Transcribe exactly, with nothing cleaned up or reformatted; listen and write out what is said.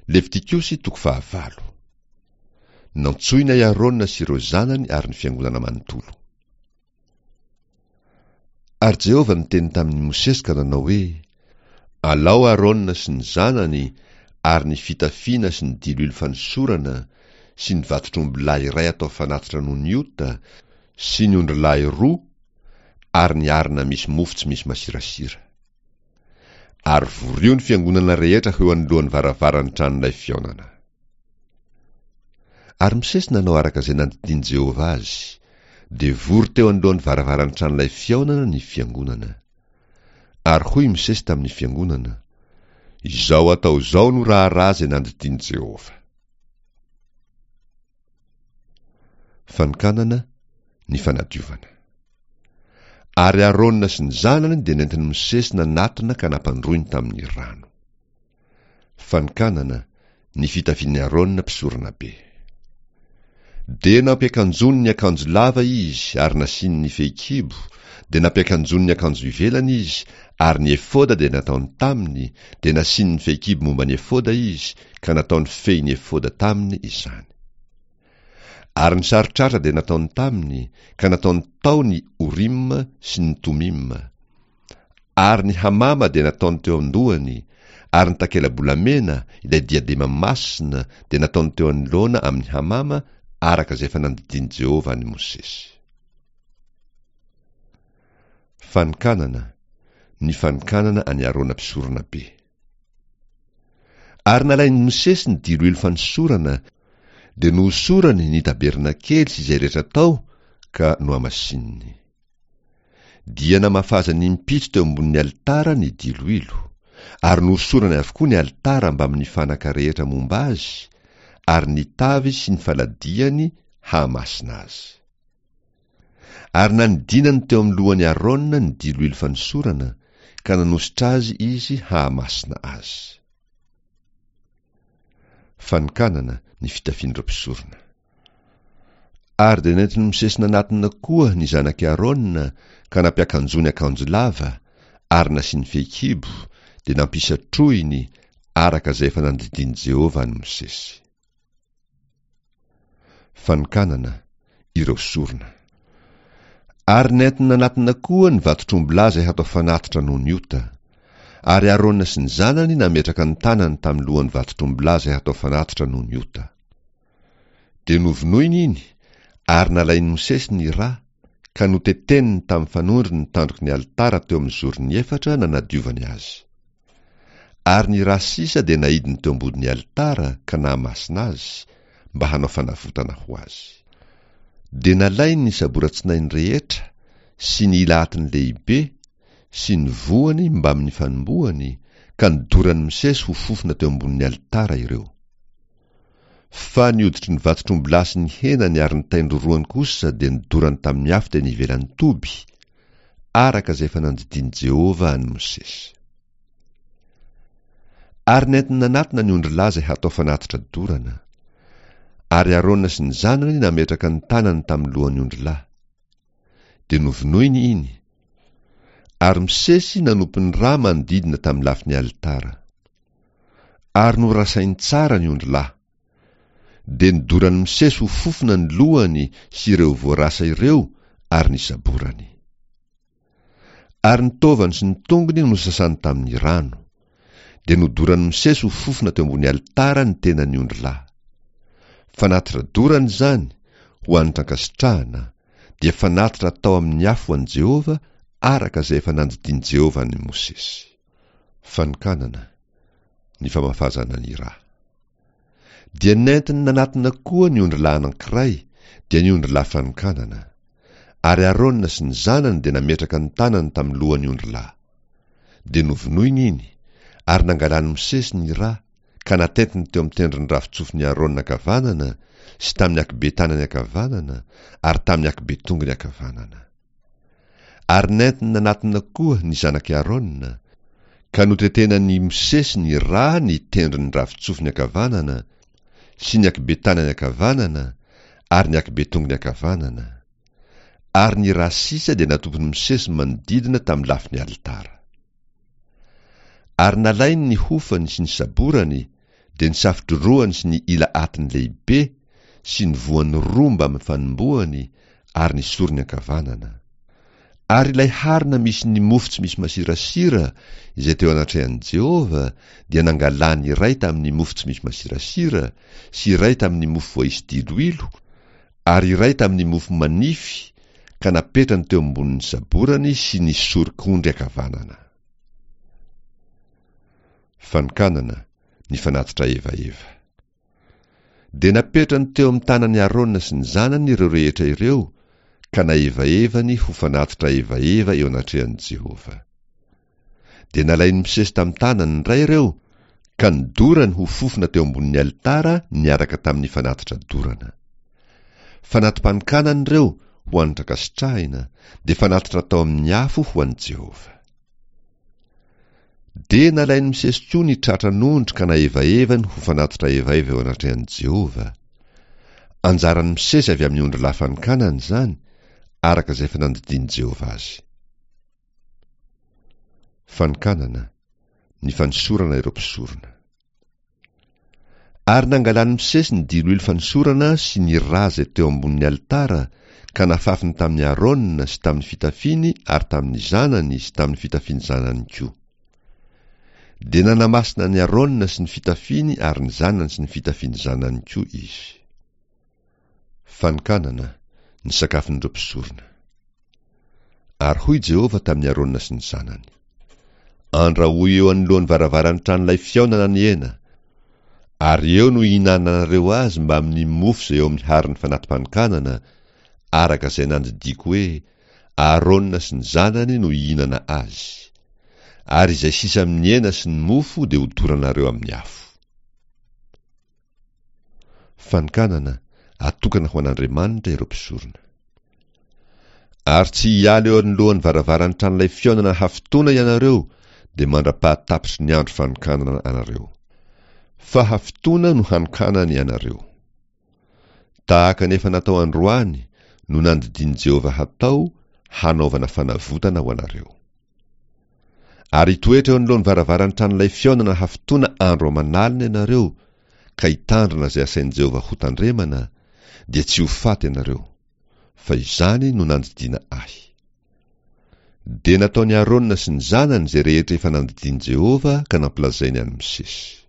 Levitikosy toko fahavalo. Nantsoina i Arona sy ireo zanany ary ny fiangonana manontolo. Ary Jehovah niteny tamin'i Mosesy ka nanao hoe: Alao Arona sy ny zanany ary ny fitafiana sy ny diloilo fanosorana sy ny vatotr'ombilahy iray atao fanatitra noho ny ota sy ny ondrilahy roa ary ny arina misy mofo tsy misy masirasira. Ary vorio ny fiangonana rehetra ho eo anoloan'ny varavaran'ny tranolay fihaonana. Ary Mosesy nanao araka izay nandidian'i Jehovah azy, dia vory teo anoloan'ny varavaran'ny tranolay fihaonana ny fiangonana. Ary hoy Mosesy tamin'ny fiangonana: Izao atao izao no raharaha izay nandidian'i Jehovah. Fanokanana ny fanadiovana. Ary Arona sy ny zanany dia nentin'i Mosesy nanatona ka nampandroiny tamin'ny rano. Fanokanana ny fitafian'i Arona mpisoronabe. Dia nampiakanjony ny akanjo lava izy ary nasiany ny fehikibo, dia nampiakanjony ny akanjo ivelany izy ary ny efoda dia nataony taminy, dia nasiany ny fehikibo momba ny efoda izy ka nataony fehin'ny efoda taminy izany. Ary ny saron-tratra dia nataony taminy, ka nataony tao ny Urim sy ny Tumim. Ary ny hamama dia nataony teo an-dohany, ary ny takela-bolamena, ilay diadema masina, dia nataony teo anoloana amin'ny hamama, araka izay efa nandidian'i Jehovah an'i Mosesy. Fanokanana, ny fanokanana an'i Arona mpisoronabe. Ary nalain'i Mosesy ny diloilo fanosorana, dia nohosorany ny tabernakely sy izay rehetra tao ka nohamasininy. Dia namafazany impito teo ambonin'ny alitara ny diloilo, ary nohosorany avokoa ny alitara mbamin'ny fanaka rehetra momba azy, ary ny tavy sy ny faladiany hahamasina azy. Ary nanidinany teo amin'ny lohan'i Arona ny diloilo fanosorana, ka nanositra azy izy hahamasina azy. Fanokanana ny fitafian'ireo mpisorona. Ary dia nentin'i Mosesy nanatona koa ny zanak'i Arona ka nampiakanjony akanjo lava ary nasiany fehikibo, dia nampisatrohiny araka izay efa nandidian'i Jehovah an'i Mosesy. Fanokanana ireo sorona. Ary nentiny nanatona koa ny vatotr'ombilahy izay hatao fanatitra noho ny ota. Ary Arona sy ny zanany nametraka ny tanany tamin'ny lohan'ny vatotr'ombilahy izay hatao fanatitra noho ny ota. Dia novonoiny iny, ary nalain'i Mosesy ny rà, ka noteteniny tamin'ny fanondro ny tandroky ny alitara teo amin'ny zorony efatra nanadiovany azy. Ary ny rà sisa dia naidiny teo ambodin'ny alitara ka nahamasina azy, mba hanao fanavotana ho azy. Dia nalainy ny saboratsinainy rehetra sy ny ila atiny lehibe sy ny voany mbamin'ny fanombohany, ka nodoran'i Mosesy ho fofona teo ambonin'ny alitara ireo. Fa ny hoditry ny vatotr'ombilahy sy ny henany ary ny tain-drorohany kosa dia nodorany tamin'ny afo teny ivelan'ny toby, araka izay efa nandidian'i Jehovah an'i Mosesy. Ary nentiny nanatona ny ondrilahy izay hatao fanatitra dorana. Ary Arona sy ny zanany nametraka ny tanany tamin'ny lohan'ny ondrilahy. Dia novonoiny iny. Ary Mosesy nanompo ny rà manodidina tamin'ny lafin'ny alitara. Ary norasainy tsara ny ondrilahy. Dia nodoran'i Mosesy ho fofona ny lohany sy ireo voarasa ireo ary ny saborany. Ary ny taovany sy ny tongony nosasany tamin'ny rano. Dia nodoran'i Mosesy ho fofona teo ambony alitara ny tenan'ny ondrilahy. Fanatitra dorana izany ho hanitra ankasitrahana, dia fanatitra atao amin'ny afo ho an'i Jehovah araka izay efa nandidian'i Jehovah an'i Mosesy. Fanokanana ny famafazana ny rà. Dia nentiny nanatona koa ny ondrilahy anankiray, dia ny ondrilahy fanokanana. Ary Arona sy ny zanany dia nametraka ny tanany tamin'ny lohan'ny ondrilahy. Dia novonoiny iny, ary nangalan'i Mosesy ny rà, ka natentiny teo amin'ny tendron'ny ravin-tsofin'i Arona ankavanana sy tamin'ny ankibe tanany ankavanana ary tamin'ny ankibe tongony ankavanana. Ary nentiny nanatona koa ny zanak'i Arona, ka notetenan'i Mosesy ny rà ny tendron'ny ravin-tsofiny ankavanana sy ny ankibe tanany ankavanana ary ny ankibe tongony ankavanana. Ary ny rà sisa dia natopin'i Mosesy manodidina tamin'ny lafin'ny alitara. Ary nalainy ny hofany sy ny saborany, Dia ny safotry sy ny ila atiny lehibe sy ny voany roa mbamin'ny fanombohany ary ny sorony ankavanana. Ary ilay harona misy ny mofo tsy misy masirasira izay teo anatrehan'i Jehovah dia nangalany iray tamin'ny mofo tsy misy masirasira sy iray tamin'ny mofo voaisy diloilo ary iray tamin'ny mofo manify ka napetrany teo ambonin'ny saborany sy ny sorok'ondry ankavanana. Fanokanana ny fanatitra evaeva. Dia napetrany teo amin'ny tanan'i Arona sy ny zanany ireo rehetra ireo ka naevaevany ho fanatitra evaeva eo anatrehan'i Jehovah. Dia nalain'i Mosesy tamin'ny tanany indray ireo ka nodorany ho fofona teo ambonin'ny alitara niaraka tamin'ny fanatitra dorana. Fanati-panokanana ireo ho hanitra ankasitrahina dia fanatitra atao amin'ny afo ho an'i Jehovah. Dia nalain'i Mosesy koa ny tratran'ondry ka naevaevany ho fanatitra evaeva eo anatrehan'i Jehovah. Anjaran'i Mosesy avy amin'ny ondrilahy fanokanana izany, araka izay efa nandidian'i Jehovah azy. Fanokanana, ny fanosorana ireo mpisorona. Ary nangalan'i Mosesy ny diloilo fanosorana sy ny rà izay teo ambonin'ny alitara ka nafafiny tamin'i Arona sy tamin'ny fitafiany ary tamin'ny zanany sy tamin'ny fitafian'ny zanany koa. Dia nanamasina an'i Arona sy ny fitafiany ary ny zanany sy ny fitafian'ny zanany koa izy. Fanokanana, ny sakafon'ireo mpisorona. Ary hoy Jehovah tamin'i Arona sy ny zanany: Andrahoy eo anoloan'ny varavaran'ny tranolay fihaonana ny hena, ary eo no hihinananareo azy mbamin'ny mofo izay eo amin'ny haron'ny fanati-panokanana, araka izay nandidiako hoe Arona sy ny zanany no hihinana azy. Ary izay sisa amin'ny hena sy ny mofo dia hodoranareo amin'ny afo. Fanokanana, atokana ho an'Andriamanitra ireo mpisorona. Ary tsy hiala eo anoloan'ny varavaran'ny tranolay fihaonana hafitoana ianareo dia mandra-pahatapitry ny andro fanokanana anareo. Fa hafitoana no hanokanany ianareo. Tahaka ny efa natao androany no nandidian'i Jehovah hatao hanaovana fanavotana ho anareo. Ary hitoetra eo anoloan'ny varavaran'ny tranolay fihaonana hafitoana andro aman'alina ianareo ka hitandrina izay asain'i Jehovah hotandremana, dia tsy ho faty ianareo, fa izany no nandidiana ahy. Dia nataon'i Arona sy ny zanany izay rehetra efa nandidian'i Jehovah ka nampilazainy an'i Mosesy.